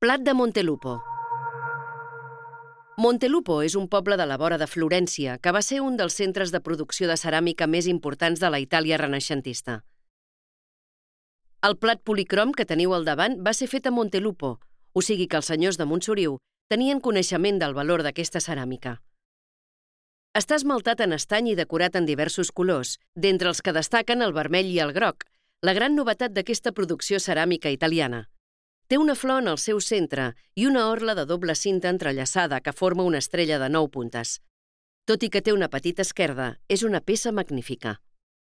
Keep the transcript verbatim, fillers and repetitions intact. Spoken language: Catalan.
Plat de Montelupo. Montelupo és un poble de la vora de Florència que va ser un dels centres de producció de ceràmica més importants de la Itàlia renaixentista. El plat policrom que teniu al davant va ser fet a Montelupo, o sigui que els senyors de Montsoriu tenien coneixement del valor d'aquesta ceràmica. Està esmaltat en estany i decorat en diversos colors, d'entre els que destaquen el vermell i el groc, la gran novetat d'aquesta producció ceràmica italiana. Té una flor en el seu centre i una orla de doble cinta entrellaçada que forma una estrella de nou puntes. Tot i que té una petita esquerda, és una peça magnífica.